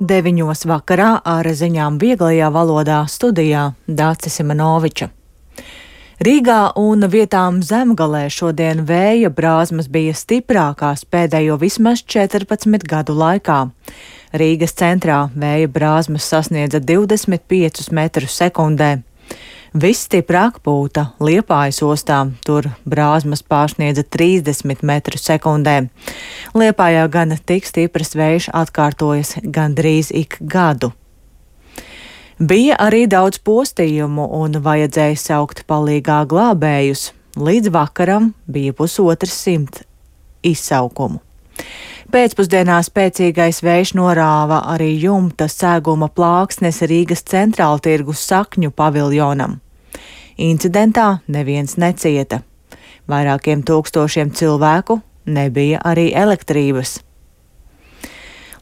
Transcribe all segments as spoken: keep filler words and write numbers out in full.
Deviņos vakarā ar ziņām vieglajā valodā studijā Dācis Simanoviča. Rīgā un vietām Zemgalē šodien vēja brāzmas bija stiprākās pēdējo vismaz četrpadsmit gadu laikā. Rīgas centrā vēja brāzmas sasniedza divdesmit piecus metrus sekundē. Visstiprāk pūta Liepājas ostā, tur brāzmas pārsniedza trīsdesmit metrus sekundē. Liepājā gan tik stiprs vējš atkārtojas gandrīz ik gadu. Bija arī daudz postījumu un vajadzēja saukt palīgā glābējus. Līdz vakaram bija pusotrs simt izsaukumu. Pēcpusdienā spēcīgais vējš norāva arī jumta seguma plāksnes Rīgas centrāltirgus Sakņu paviljonam. Incidentā neviens necieta. Vairākiem tūkstošiem cilvēku nebija arī elektrības.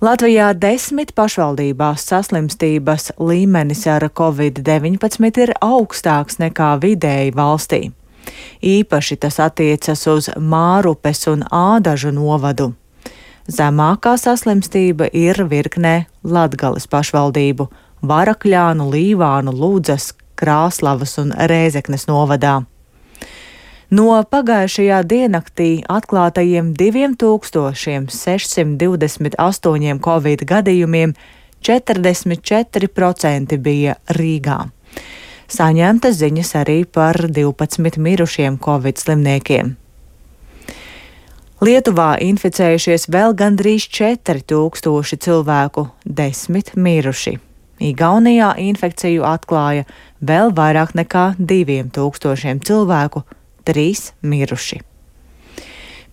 Latvijā desmit pašvaldībās saslimstības līmenis ar covid deviņpadsmit ir augstāks nekā vidēji valstī. Īpaši tas attiecas uz Mārupes un Ādažu novadu. Zemākā saslimstība ir virknē Latgales pašvaldību – Varakļānu, Līvānu, Ludzas, Krāslavas un Rēzeknes novadā. No pagājušajā diennaktī atklātajiem diviem tūkstošiem sešsimt divdesmit astoņiem covid gadījumiem četrdesmit četri procenti bija Rīgā. Saņemtas ziņas arī par divpadsmit mirušiem covid slimniekiem. Lietuvā inficējušies vēl gandrīz četri tūkstoši cilvēku, desmit miruši. Igaunijā infekciju atklāja vēl vairāk nekā diviem tūkstošiem cilvēku, trīs miruši.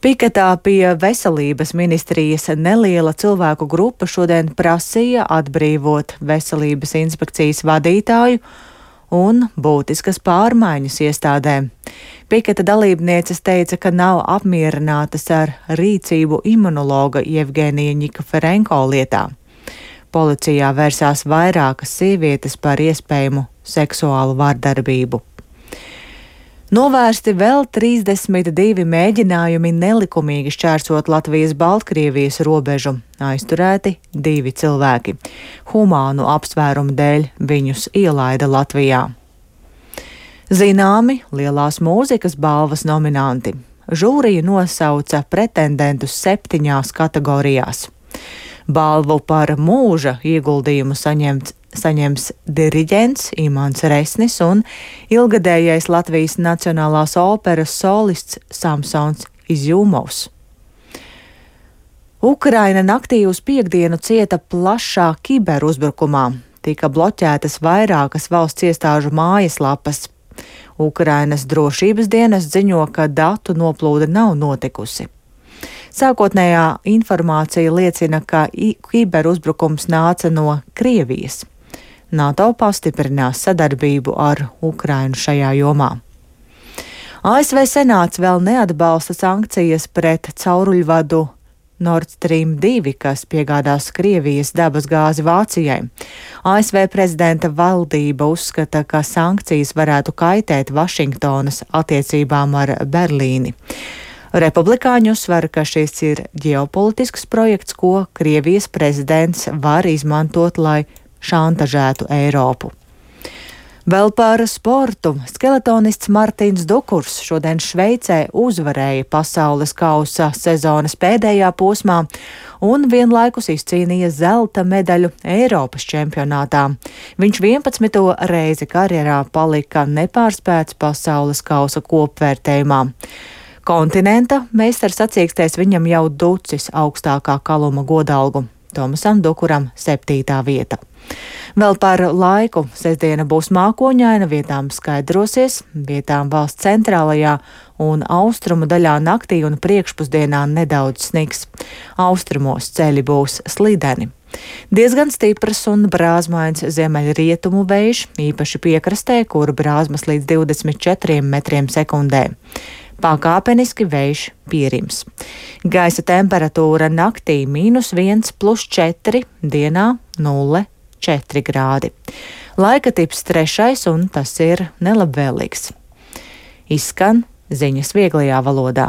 Piketā pie veselības ministrijas neliela cilvēku grupa šodien prasīja atbrīvot veselības inspekcijas vadītāju un būtiskas pārmaiņas iestādē. Piketa dalībnieces teica, ka nav apmierinātas ar rīcību imunologa Jevgenija Ņikaferenko lietā. Policijā vērsās vairākas sievietes par iespējamu seksuālu vardarbību. Novērsti vēl trīsdesmit divi mēģinājumi nelikumīgi šķērsot Latvijas-Baltkrievijas robežu. Aizturēti divi cilvēki. Humānu apsvērumu dēļ viņus ielaida Latvijā. Zināmi lielās mūzikas balvas nominanti. Žūrija nosauca pretendentus septiņās kategorijās. Balvu par mūža ieguldījumu saņemts, saņems diriģents Imants Resnis un ilgadējais Latvijas Nacionālās operas solists Samsons Izjumovs. Ukraina naktī uz piektdienu cieta plašā kiberuzbrukumā. Tika bloķētas vairākas valsts iestāžu mājaslapas. Ukrainas drošības dienas ziņo, ka datu noplūde nav notikusi. Sākotnējā informācija liecina, ka kiberuzbrukums nāca no Krievijas. NATO pastiprinās sadarbību ar Ukrainu šajā jomā. A S V Senāts vēl neatbalsta sankcijas pret cauruļvadu Nord Stream divi, kas piegādās Krievijas dabas gāzi Vācijai. A S V prezidenta valdība uzskata, ka sankcijas varētu kaitēt Vašingtonas attiecībām ar Berlīni. Republikāņi uzsver, ka šis ir ģeopolitisks projekts, ko Krievijas prezidents var izmantot, lai šantažētu Eiropu. Vēl par sportu. Skeletonists Martins Dukurs šodien Šveicē uzvarēja pasaules kausa sezonas pēdējā posmā un vienlaikus izcīnīja zelta medaļu Eiropas čempionātā. Viņš vienpadsmito reizi karjerā palika nepārspēts pasaules kausa kopvērtējumā. Kontinenta meistars sacīkstēs viņam jau ducis augstākā kaluma godalgu. Tomasam Dukuram septītā vieta. Vēl par laiku. Sestdiena būs mākoņaina, vietām skaidrosies, vietām valsts centrālajā un austrumu daļā naktī un priekšpusdienā nedaudz sniks. Austrumos ceļi būs slideni. Diezgan stiprs un brāzmains ziemeļrietumu vējš, īpaši piekrastē, kur brāzmas līdz divdesmit četriem metriem sekundē. Pakāpeniski vējš pierims. Gaisa temperatūra naktī mīnus viens plus četri, dienā nulle četri grādi. Laika tips trešais un tas ir nelabvēlīgs. Izskan ziņas vieglajā valodā.